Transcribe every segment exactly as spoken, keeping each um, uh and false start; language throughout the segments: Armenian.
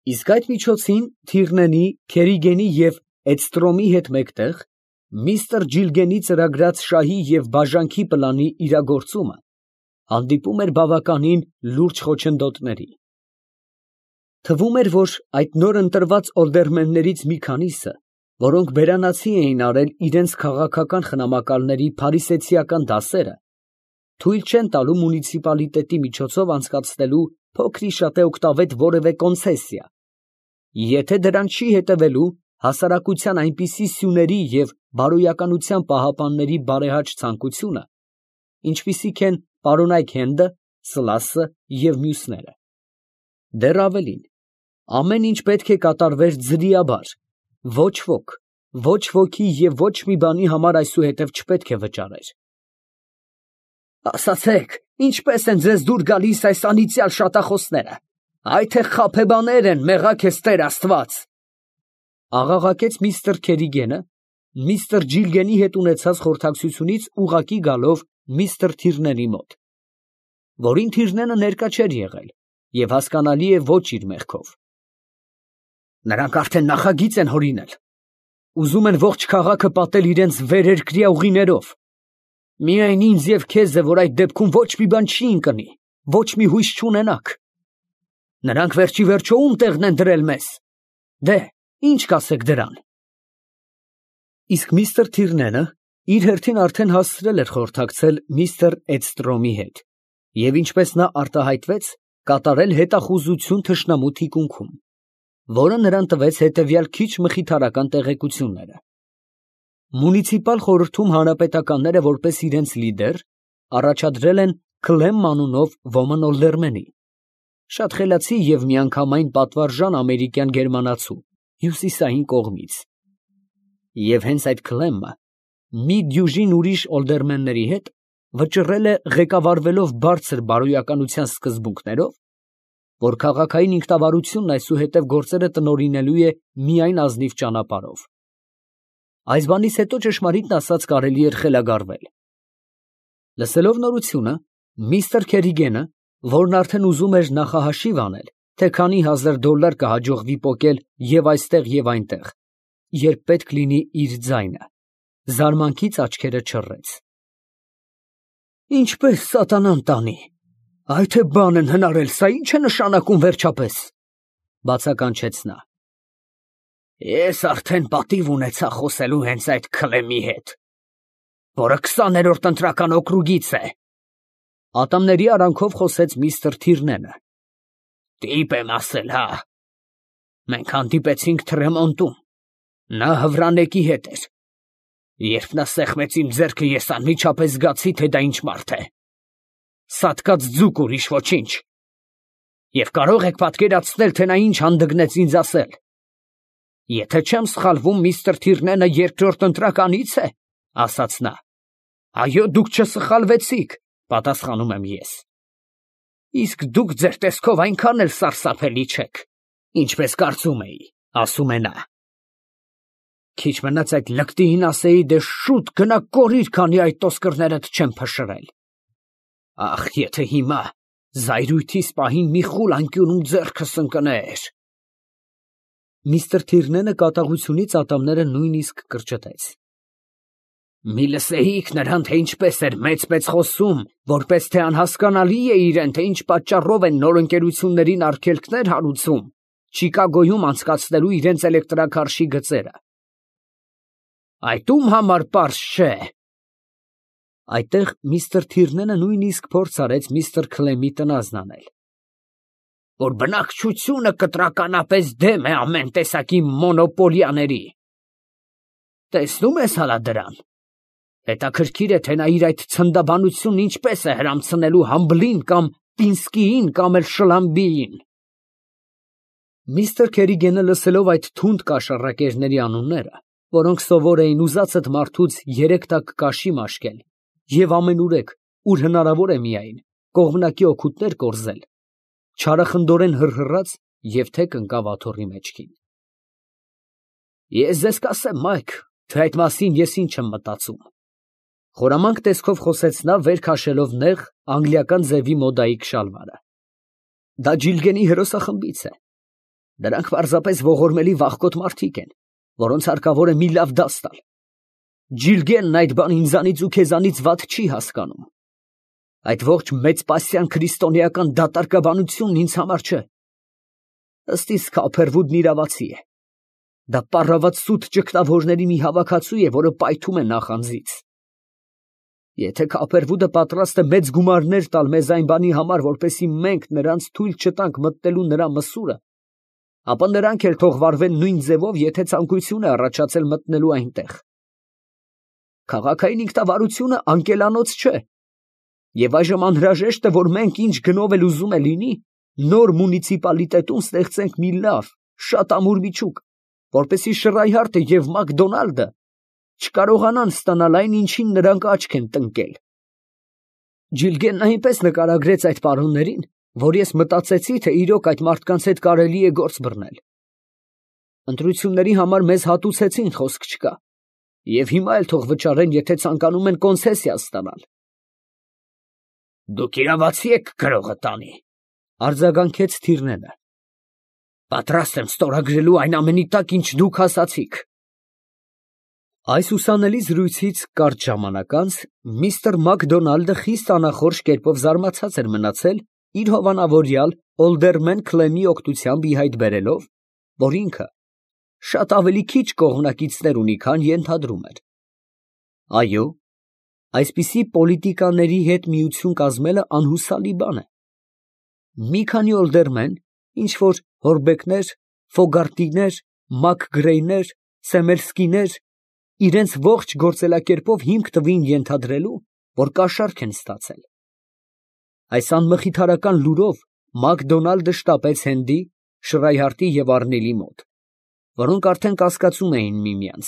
Իսկ այդ միջոցին Թիրնենի, Քերիգենի և Էդստրոմի հետ մեկտեղ միստր Ջիլգենի ծրագրած շահի և բաժանքի պլանի իրագործումը հանդիպում էր բավականին լուրջ խոչընդոտների։ Թվում էր, որ այդ նոր ընտրված ալդերմեններից մի քանիսը, որոնք բերանացի էին արել իրենց քաղաքական խնամակալների փարիսեցիական դասերը, թույլ չեն տալու մունիցիպալիտետի միջոցով անցկացնելու փոքրիշատե օգտավետ որևէ կոնցեսիա, եթե դրան չի հետևելու հասարակության այնպիսի սյուների և բարոյականության պահապանների բարեհաճ ցանկությունը, ինչպիսիք են պարոնայք Հենդը, Սլասը և մյուսները։ Դեռ ավելին, ամեն ինչ պետք է կատարվեր ձրիաբար, ոչ ոք, ոչ ոքի և ոչ մի բանի համար այսուհետև չպետք է վճարեր։ Ասացեք, ինչպե՞ս են ձեզ դուր գալիս այս անիծյալ շատախոսները, այ թե խաբեբաներ են, մեղա քեզ Տեր Աստված, ֊ աղաղակեց միստր Քերիգենը, միստր Ջիլգենի հետ ունեցած խորհրդակցությունից ուղղակի գալով միստր Թիրնենի մոտ, որին Թիրնենը ներկա չէր եղել և հասկանալի է ոչ իր մեղքով։ Նրանք արդեն նախագիծ են հորինել, ուզում են ողջ քաղաքը պատել իրենց վերերկրյա ուղիներով, միայն ինձ և քեզ է, որ այդ դեպքում ոչ մի բան չի ընկնի, ոչ մի հույս չունենաք։ Նրանք վերջիվերջո ում տեղն են դրել մեզ, դե, ի՞նչ կասեք դրան։ Իսկ միստր Թիրնենը իր հերթին արդեն հասցրել էր խորհրդակցել միստր Էդստրոմի հետ և, ինչպես նա արտահայտվեց, կատարել հետախուզություն թշնամու թիկունքում, որը նրան տվեց հետևյալ քիչ մխիթարական տեղեկությունները. Մունիցիպալ խորհրդում հանրապետականները որպես իրենց լիդեր առաջադրել են Քլեմ անունով ոմն ալդերմենի, շատ խելացի և միանգամայն պատվարժան ամերիկյան գերմանացու հյուսիսային կողմից, և հենց այդ Քլեմը մի դյուժին ուրիշ ալդերմենների հետ վճռել է, ղեկավարվելով բարձր բարոյականության սկզբունքներով, որ քաղաքային ինքնավարությունն այսուհետև գործերը տնօրինելու է միայն ազնիվ ճանապարհով։ Այս բանից հետո ճշմարիտն ասած կարելի էր խելագարվել։ Լսելով նորությունը, միստր Քերիգենը, որն արդեն ուզում էր նախահաշիվ անել, թե քանի հազար դոլար կհաջողվի պոկել և այստեղ և այնտեղ, երբ պետք լինի իր ձայնը, զարմանքից աչքերը չռեց։ Ինչպես սատանան տանի, այ թե բան են հնարել, սա ի՞նչ է նշանակում վերջապես, ֊ բացականչեց նա։ Ես արդեն պատիվ ունեցա խոսելու հենց այդ Քլեմի հետ, որը քսաներորդ ընտրական օկրուգից է, ֊ ատամների արանքով խոսեց միստր Թիրնենը։ Տիպ եմ ասել, հա։ Մենք հանդիպեցինք Թրեմոնտում, նա Հվրանեկի հետ էր։ Երբ նա սեղմեց իմ ձեռքը, ես անմիջապես զգացի, թե դա ինչ մարդ է։ Սատկած ձուկ, ուրիշ ոչինչ։ Եվ կարող եք պատկերացնել, թե նա ինչ հանդգնեց ինձ ասել։ Եթե չեմ սխալվում, միստր Թիրնենը երկրորդ ընտրականից է, ֊ ասաց նա։ Այո, դուք չսխալվեցիք, ֊ պատասխանում եմ ես։ Իսկ դուք ձեր տեսքով այնքան էլ սարսափելի չեք, ինչպես կարծում էի, ֊ ասում է նա։ Քիչ մնաց այդ լկտիին ասեի, դե շուտ գնա կորիր, քանի այդ տոսկրներդ չեմ փշրել։ Ախ, եթե հիմա զայրույթիս պահին մի խուլ անկյունում ձեռքս ընկներ։ Միստր Թիրնենը կատաղությունից ատամները նույնիսկ կրճտեց։ Մի լսեիք նրան, թե ինչպես էր մեծ-մեծ խոսում, որպես թե անհասկանալի է իրեն, թե ինչ պատճառով են նոր ընկերություններին արգելքներ հարուցում Չիկագոյում անցկացնելու իրենց էլեկտրաքարշի գծերը։ Այդ ում համար պարզ չէ։ Այդտեղ միստր Թիրնենը նույնիսկ փորձ արեց միստր Քլեմի տնազն անել, որ բնակչությունը կտրականապես դեմ է ամեն տեսակի մոնոպոլիաների։ Տեսնում ես հալա դրան։ Հետաքրքիր է, թե նա իր այդ ցնդաբանությունն ինչպես է հրամցնելու Համբլին կամ Պինսկիին կամ էլ Շլամբիին։ Միստր Քերիգենը լսելով այդ թունդ կաշառակերների անունները, որոնք սովոր էին ուզածդ մարդուց երեք տակ կաշի մաշկել և ամենուրեք, ուր հնարավոր է միայն, կողմնակի օգուտներ կորզել, չարախնդորեն հռհռաց և թեք ընկավ աթոռի մեջքին։ Ես ձեզ կասեմ, Մայք, թե այդ մասին ես ինչ եմ մտածում, ֊ խորամանկ տեսքով խոսեց նա, վեր քաշելով նեղ անգլիական ձևի մոդայիկ շալվարը։ Դա Ջիլգենի հերոսախմբից է։ Դրանք պարզապես ողորմելի վախկոտ մարդիկ են, որոնց հարկավոր է մի լավ դաս տալ։ Ջիլգենն այդ բան ինձանից ու քեզանից վատ չի հասկանում։ Այդ ողջ մեծպասյան քրիստոնեական դատարկաբանությունն ինձ համար չէ։ Ըստ իս Քոփերվուդն իրավացի է։ Դա պառաված սուտ ճգնավորների մի հավաքածու է, որը պայթում է նախանձից։ Եթե Քոփերվուդը պատրաստ է մեծ գումարներ տալ մեզ այն բանի համար, որպեսզի մենք նրանց թույլ չտանք մտնելու նրա մսուրը, ապա նրանք էլ թող վարվեն նույն ձևով, եթե ցանկություն է առաջացել մտնելու այնտեղ։ Քաղաքային ինքնավարությունը անկելանոց չէ, եւ այժմ անհրաժեշտ է, որ մենք ինչ գնով էլ ուզում է լինի, նոր մունիցիպալիտետում ստեղծենք մի լավ, շատ ամուր միջուկ, որպեսզի Շրայհարտը եւ Մակդոնալդը չկարողանան ստանալ այն, ինչին նրանք աչք են տնկել։ Ջիլգենն այնպես նկարագրեց այդ պարոններին, որ ես մտածեցի, թե իրոք այդ մարդկանց հետ կարելի է գործ բռնել։ Ընտրությունների համար մեզ հատուցեցին, խոսք չկա, եւ հիմա էլ թող վճարեն, եթե ցանկանում են կոնցեսիա ստանալ։ Դուք իրավացի եք գրողը տանի, արձագանքեց Թիրնենը։ Պատրաստ եմ ստորագրելու այն ամենի տակ, ինչ դուք ասացիք։ Այս ուսանելի զրույցից կարճ ժամանակ անց միստր Մակդոնալդը խիստ անախորժ կերպով զարմացած էր մնացել իր հովանավորյալ Օլդերմեն Քլեմի օգնությամբ ի հայտ բերելով, որ ինքը շատ ավելի քիչ կողմնակիցներ ունի, քան ենթադրում էր։ Այո, այսպիսի պոլիտիկաների հետ միություն կազմելը անհուսալի բան է։ Մի քանի օլդերմեն, ինչ որ Հորբեկներ, Ֆոգարտիներ, Մակգրեյներ, Սեմերսկիներ, իրենց ողջ գործելակերպով հիմք տվին ենթադրելու, որ կաշառք են ստացել։ Այս անմխիթարական լուրով Մակդոնալդը շտապեց Հենդի, Շրայհարտի եւ Առնելի մոտ, որոնք արդեն կասկածում էին միմյանց,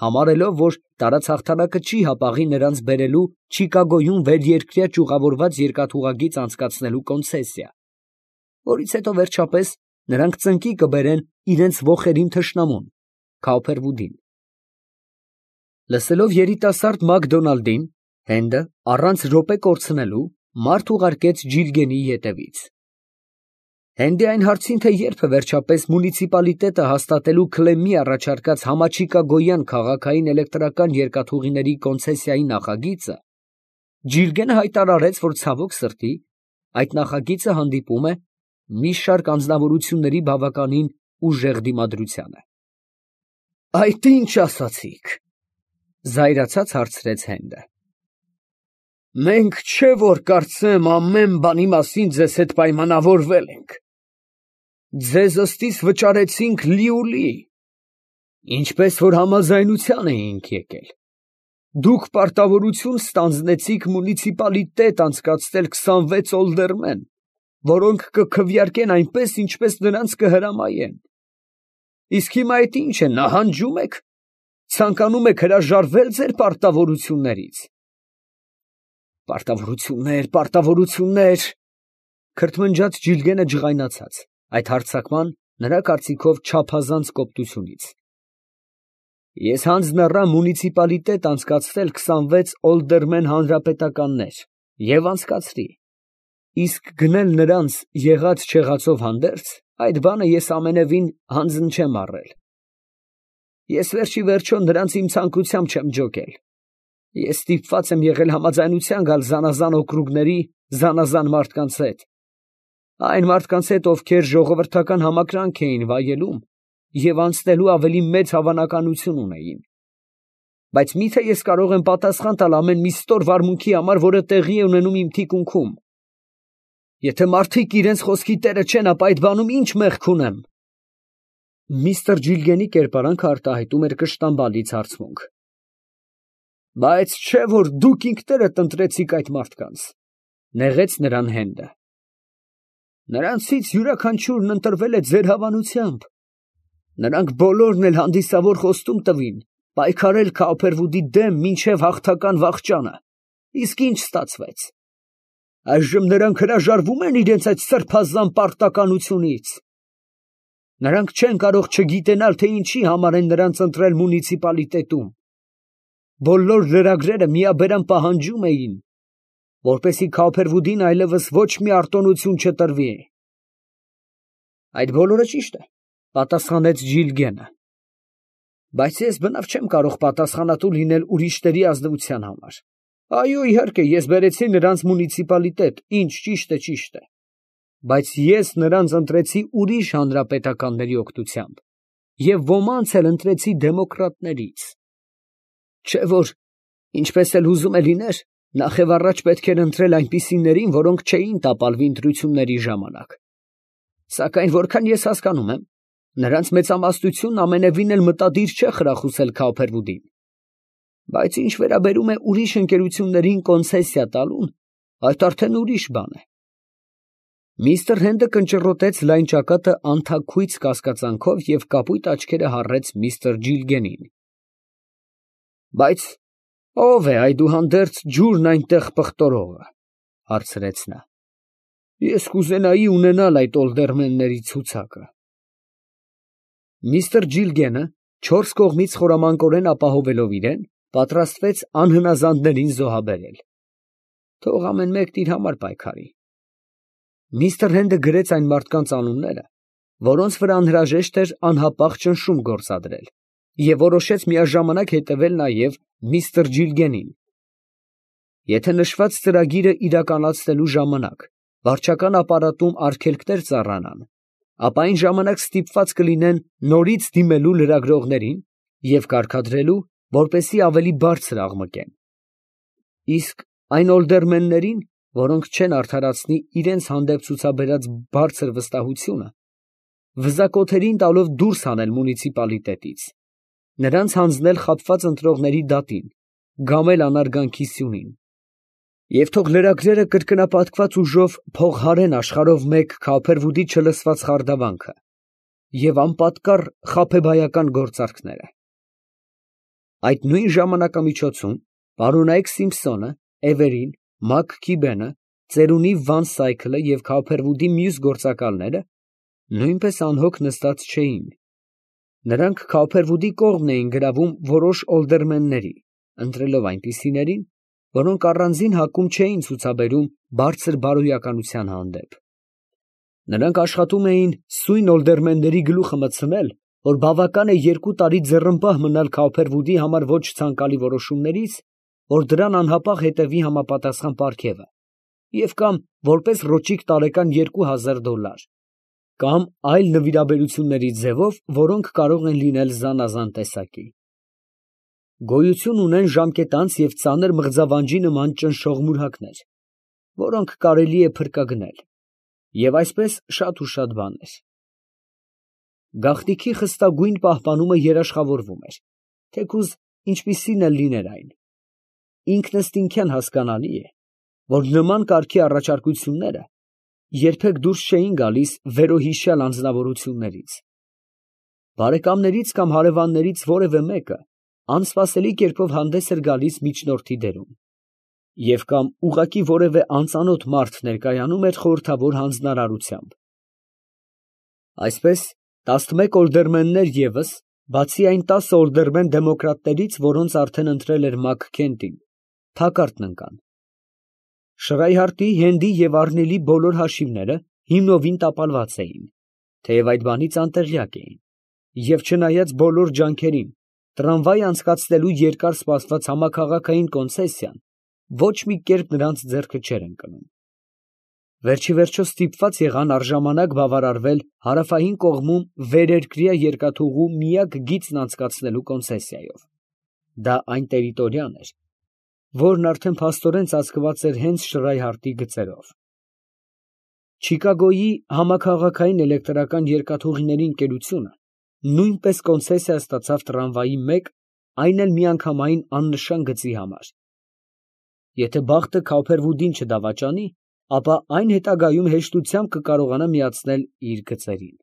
համարելով, որ տարածհաղթանակը չի հապաղի նրանց բերելու Չիկագոյում վերերկրյա ճյուղավորված երկաթուղագիծ անցկացնելու կոնցեսիա, որից հետո վերջապես նրանք ծնկի կբերեն իրենց ոխերիմ թշնամուն, Քոփերվուդին։ Լսելով երիտասարդ Մակդոնալդին, Հենդը, առանց րոպե կորցնելու, մարդ ուղարկեց Ջիլգենի ետևից։ Հենդի այն հարցին, թե երբ է վերջապես մունիցիպալիտետը հաստատելու Քլեմի առաջարկած համաչիկագոյան քաղաքային էլեկտրական երկաթուղիների կոնցեսիայի նախագիծը, Ջիլգենը հայտարարեց, որ ցավոք սրտի այդ նախագիծը հանդիպում է մի շարք անձնավորությունների բավականին ուժեղ դիմադրությանը։ Այդ ինչ ասացիք, զայրացած հարցրեց Հենդը։ Մենք չէ որ կարծեմ ամեն բանի մասին ձեզ հետ պայմանավորվել ենք։ Ձեզ ըստիս վճարեցինք լիուլի, ինչպես որ համաձայնության էինք եկել։ Դուք պարտավորություն ստանձնեցիք մունիցիպալիտետ անցկացնել քսանվեց օլդերմեն, որոնք կքվեարկեն այնպես, ինչպես նրանց կհրամայեն։ Իսկ հիմա այդ ինչ է, նահանջում եք, ցանկանում եք հրաժարվել ձեր պարտավորություններից։ Պարտավորություններ, պարտավորություններ, քրթմնջաց Ջիլգենը ջղայնացած, այդ հարձակման նրա կարծիքով չափազանց կոպտությունից։ Ես հանձն առա մունիցիպալիտետ անցկացնել քսանվեց օլդերմեն հանրապետականներ և անցկացրի, իսկ գնել նրանց եղած չեղածով հանդերձ, այդ բանը ես ամենևին հանձն չեմ առել։ Ես վերջի վերջո նրանց իմ ցանկությամբ չեմ ջոկել։ Ես ստիպված եմ եղել համաձայնության գալ զանազան օկրուգների զանազան մարդկանց հետ, այն մարդկանց հետ, ովքեր ժողովրդական համակրանք էին վայելում և անցնելու ավելի մեծ հավանականություն ունեին։ Բայց մի՞թե ես կարող եմ պատասխան տալ ամեն մի ստոր վարմունքի համար, որը տեղի է ունենում իմ թիկունքում։ Եթե մարդիկ իրենց խոսքի տերը չեն, ապա այդ բանում ի՞նչ մեղք ունեմ։ Միստր Ջիլգենի կերպարանքը արտահայտում էր կշտամբալից հարցմունք։ Բայց չէ որ դուք ինքներդ ընտրեցիք այդ մարդկանց, նեղեց նրան Հենդը։ Նրանցից յուրաքանչյուրն ընտրվել է ձեր հավանությամբ։ Նրանք բոլորն էլ հանդիսավոր խոստում տվին, պայքարել Քոփերվուդի դեմ մինչև հաղթական վախճանը, իսկ ինչ ստացվեց։ Այժմ նրանք հրաժարվում են իրենց այդ սրբազան պարտականությունից։ Նրանք չեն կարող չգիտենալ, թե ինչի համար են նրանց ընտրել մունիցիպալիտետում։ Բոլոր լրագրերը միաբերան պահանջում էին, որպեսզի Քոփերվուդին այլևս ոչ մի արտոնություն չտրվի։ Այդ բոլորը ճիշտ է, Պատասխանեց Ժիլգենը։ Բայց ես բնավ չեմ կարող պատասխանատու լինել ուրիշների ազնվության համար։ Այո, իհարկե, ես բերեցի նրանց մունիցիպալիտետ, ինչ ճիշտ է, ճիշտ է։ Բայց ես նրանց ընտրեցի ուրիշ հանրապետականների օգնությամբ և ոմանց էլ ընտրեցի դեմոկրատներից։ Չէ՞ որ, ինչպես էլ ուզում է լիներ, նախևառաջ պետք էր ընտրել այնպիսիներին, որոնք չէին տապալվի ընտրությունների ժամանակ։ Սակայն որքան ես հասկանում եմ, նրանց մեծամասնությունն ամենևին էլ մտադիր չէ խրախուսել Քոփերվուդին։ Բայց ինչ վերաբերում է ուրիշ ընկերություններին կոնցեսիա տալուն, այդ արդեն ուրիշ բան է։ Միստր Հենդը կնճռոտեց լայն ճակատը անթաքույց կասկածանքով և կապույտ աչքերը հառեց միստր Ժիլգենին։ Բայց ո՞վ է այդուհանդերձ ջուրն այնտեղ պղտորողը, հարցրեց նա։ Ես կուզենայի ունենալ այդ օլդերմենների ցուցակը։ Միստր Ժիլգենը, չորս կողմից խորամանկորեն ապահովելով իրեն, պատրաստվեց անհնազանդներին զոհաբերել։ Թող ամեն մեկն իր համար պայքարի։ Միստր Հենդը գրեց այն մարդկանց անունները, որոնց վրա անհրաժեշտ էր անհապաղ ճնշում գործադրել, և որոշեց միաժամանակ հետևել նաև միստր Ժիլգենին։ Եթե նշված ծրագիրը իրականացնելու ժամանակ վարչական ապարատում արգելքներ ծառանան, ապա այն ժամանակ ստիպված կլինեն նորից դիմելու լրագրողներին և կարգադրելու, որպեսզի ավելի բարձր աղմկեն։ Իսկ այն օլդերմեններին, որոնք չեն արդարացնի իրենց հանդեպ ցուցաբերած բարձր վստահությունը, վզակոթերին տալով դուրս հանել մունիցիպալիտետից, նրանց հանձնել խաբված ընտրողների դատին, գամել անարգանքի սյունին, և թող լրագրերը կրկնապատկված ուժով փողհարեն աշխարհով մեկ Քոփերվուդի չլսված խարդավանքը և անպատկառ խաբեբայական գործարքները։ Այդ նույն ժամանակամիջոցում պարոնայք Սիմփսոնը, Էվերին, Մաքքիբենը, ծերունի Վան Սայքլը և Քոփերվուդի մյուս գործակալները նույնպես անհոգ նստած չէին։ Նրանք Քոփերվուդի կողմն էին գրավում որոշ օլդերմենների, ընտրելով այնպիսիներին, որոնք առանձին հակում չէին ցուցաբերում բարձր բարոյականության հանդեպ։ Նրանք աշխատում էին սույն օլդերմենների գլուխը մտցնել, որ բավական է երկու տարի ձեռնպահ մնալ Քոփերվուդի համար ոչ ցանկալի որոշումներից, որ դրան անհապաղ հետևի համապատասխան պարգևը, և կամ որպես ռոճիկ տարեկան երկու հազար դոլար, կամ այլ նվիրաբերությունների ձևով, որոնք կարող են լինել զանազան տեսակի։ Գոյություն ունեն ժամկետանց և ծանր մղձավանջի նման ճնշող մուրհակներ, որոնք կարելի է փրկագնել, և այսպես շատ ու շատ բաներ։ Գաղտնիքի խստագույն պահպանումը երաշխավորվում էր, թեկուզ ինչպիսին էլ լիներ այն։ Ինքնըստինքյան հասկանալի է, որ նման կարգի առաջարկությունները երբեք դուրս չէին գալիս վերոհիշյալ անձնավորություններից։ Բարեկամներից կամ հարևաններից որևէ մեկը անսպասելի կերպով հանդես էր գալիս միջնորդի դերում, և կամ ուղղակի որևէ անծանոթ մարդ ներկայանում էր խորհրդավոր հանձնարարությամբ։ Այսպես տասնմեկ օլդերմեններ ևս, բացի այն տասը օլդերմեն դեմոկրատներից, որոնց արդեն ընտրել էր Մաքքենթին, թակարդն ընկան։ Շրայհարտի, Հենդի և Առնիլի բոլոր հաշիվները հիմնովին տապալված էին, թեև այդ բանից անտեղյակ էին, և չնայած բոլոր ջանքերին, տրամվայ անցկացնելու երկար սպասված համաքաղաքային կոնցեսիան ոչ մի կերպ նրանց ձեռքը չէր ընկնում։ Վերջիվերջո ստիպված եղան առժամանակ բավարարվել հարավային կողմում վերերկրյա երկաթուղու միակ գիծն անցկացնելու կոնցեսիայով։ Դա այն տերիտորիան էր, որն արդեն փաստորեն ծածկված էր հենց Շրայհարտի գծերով։ Չիկագոյի համաքաղաքային էլեկտրական երկաթուղիների ընկերությունը նույնպես կոնցեսիա ստացավ տրամվայի մեկ, այն էլ միանգամայն աննշան գծի համար։ Եթե բախտը Քոփերվուդին չդավաճանի, ապա այն հետագայում հեշտությամբ կկարողանա միացնել իր գծերին։